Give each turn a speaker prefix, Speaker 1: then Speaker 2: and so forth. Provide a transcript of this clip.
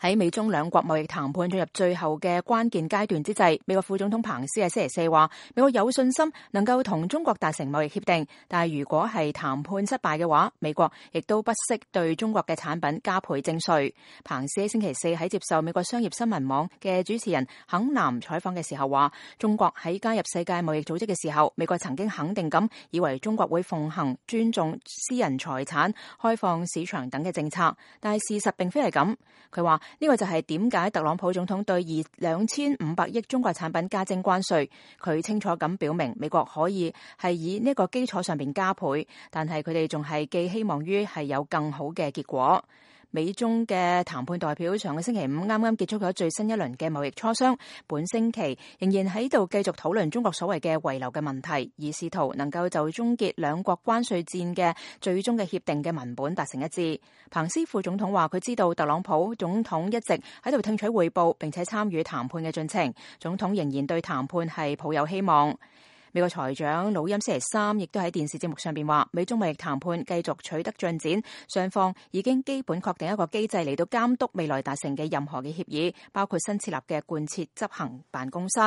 Speaker 1: 喺美中兩國貿易談判進入最後嘅關鍵階段之際，美國副總統彭斯喺星期四話，美國有信心能夠同中國達成貿易協定，但係如果係談判失敗嘅話，美國亦都不惜對中國嘅產品加倍徵稅。彭斯喺星期四喺接受美國商業新聞網嘅主持人肯南採訪嘅時候話，中國喺加入世界貿易組織嘅時候，美國曾經肯定咁以為中國會奉行尊重私人財產、開放市場等嘅政策，但係事實並非係咁。佢話呢個就係點解特朗普總統對2500億中國產品加徵關稅。佢清楚咁表明美國可以係以呢個基礎上邊加倍，但係佢哋仲係寄希望於係有更好嘅結果。美中嘅談判代表上個星期五啱啱結束咗最新一輪嘅貿易磋商，本星期仍然喺度繼續討論中國所謂嘅遺留嘅問題，以試圖能夠就終結兩國關稅戰嘅最終嘅協定嘅文本達成一致。彭斯副總統話佢知道特朗普總統一直喺度聽取彙報並且參與談判嘅進程，總統仍然對談判係抱有希望。美國財長努欽星期三亦都喺電視節目上邊話，美中貿易談判繼續取得進展，雙方已經基本確定一個機制嚟到監督未來達成嘅任何嘅協議，包括新設立嘅貫徹執行辦公室。